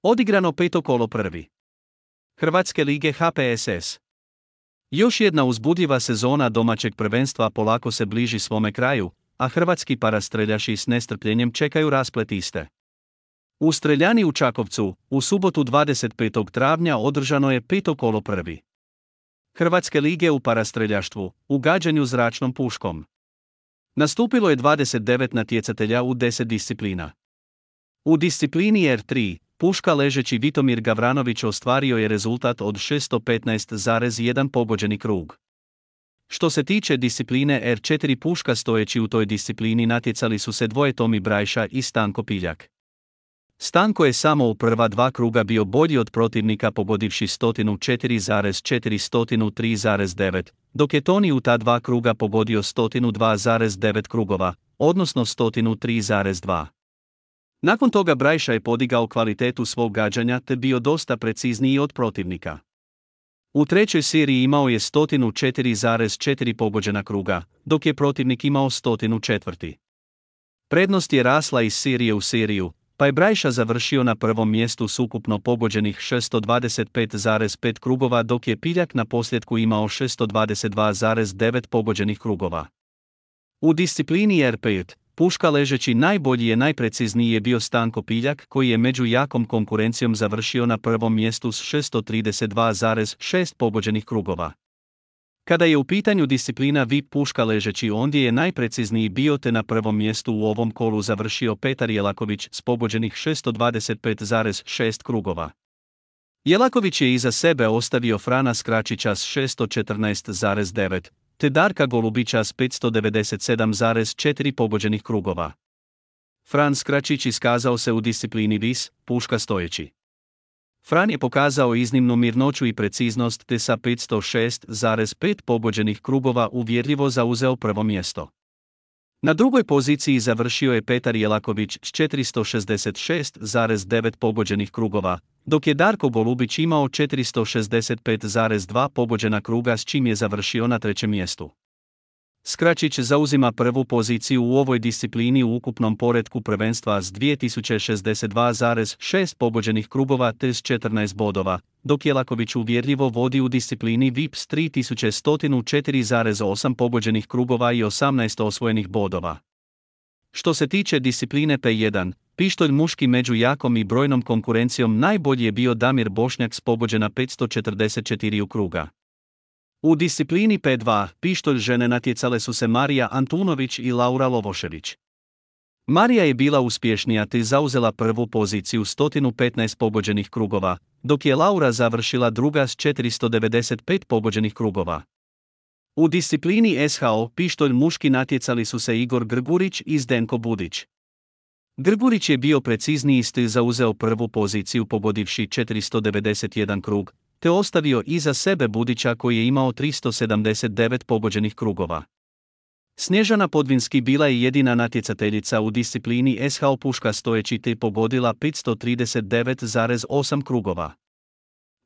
Odigrano peto kolo prvi. Hrvatske lige HPSS. Još jedna uzbudljiva sezona domaćeg prvenstva polako se bliži svome kraju, a hrvatski parastreljaši s nestrpljenjem čekaju rasplet iste. U Streljani u Čakovcu, u subotu 25. travnja održano je peto kolo prvi. Hrvatske lige u parastreljaštvu, u gađanju zračnom puškom. Nastupilo je 29 natjecatelja u 10 disciplina. U disciplini R3, puška ležeći Vitomir Gavranović ostvario je rezultat od 615,1 pogođeni krug. Što se tiče discipline R4 puška stojeći u toj disciplini natjecali su se dvoje Tomi Brajša i Stanko Piljak. Stanko je samo u prva dva kruga bio bolji od protivnika pogodivši 104,403,9, dok je Toni u ta dva kruga pogodio 102,9 krugova, odnosno 103,2. Nakon toga Brajša je podigao kvalitetu svog gađanja te bio dosta precizniji od protivnika. U trećoj seriji imao je 104,4 pogođena kruga, dok je protivnik imao 104. Prednost je rasla iz serije u seriju, pa je Brajša završio na prvom mjestu s ukupno pogođenih 625,5 krugova dok je Piljak na posljedku imao 622,9 pogođenih krugova. U disciplini R5, puška ležeći najbolji i najprecizniji je bio Stanko Piljak koji je među jakom konkurencijom završio na prvom mjestu s 632,6 pogođenih krugova. Kada je u pitanju disciplina VIP puška ležeći ondje je najprecizniji bio te na prvom mjestu u ovom kolu završio Petar Jelaković s pogođenih 625,6 krugova. Jelaković je iza sebe ostavio Frana Skračića s 614,9, te Darka Golubića s 597,4 pogođenih krugova. Fran Skračić iskazao se u disciplini vis, puška stojeći. Fran je pokazao iznimnu mirnoću i preciznost te sa 506,5 pogođenih krugova uvjerljivo zauzeo prvo mjesto. Na drugoj poziciji završio je Petar Jelaković s 466,9 pogođenih krugova, dok je Darko Golubić imao 465,2 pogođena kruga s čim je završio na trećem mjestu. Skračić zauzima prvu poziciju u ovoj disciplini u ukupnom poretku prvenstva s 2062,6 pogođenih krugova te s 14 bodova, dok Jelaković uvjerljivo vodi u disciplini VIP s 3104,8 pogođenih krugova i 18 osvojenih bodova. Što se tiče discipline P1, pištolj muški među jakom i brojnom konkurencijom najbolji je bio Damir Bošnjak s pogođena 544 kruga. U disciplini P2, pištolj žene natjecale su se Marija Antunović i Laura Lovošević. Marija je bila uspješnija te zauzela prvu poziciju 115 pogođenih krugova, dok je Laura završila druga s 495 pogođenih krugova. U disciplini SHO pištolj muški natjecali su se Igor Grgurić i Zdenko Budić. Grgurić je bio precizniji te zauzeo prvu poziciju pogodivši 491 krug, te ostavio iza sebe Budića koji je imao 379 pogođenih krugova. Snježana Podvinski bila je jedina natjecateljica u disciplini SHO puška stojeći te pogodila 539,8 krugova.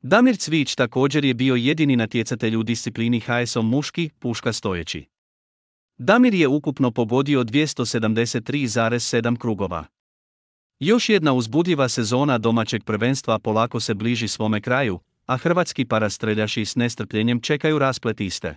Damir Cvić također je bio jedini natjecatelj u disciplini HSO muški puška stojeći. Damir je ukupno pogodio 273,7 krugova. Još jedna uzbudljiva sezona domaćeg prvenstva polako se bliži svome kraju, a hrvatski parastreljaši s nestrpljenjem čekaju rasplet iste.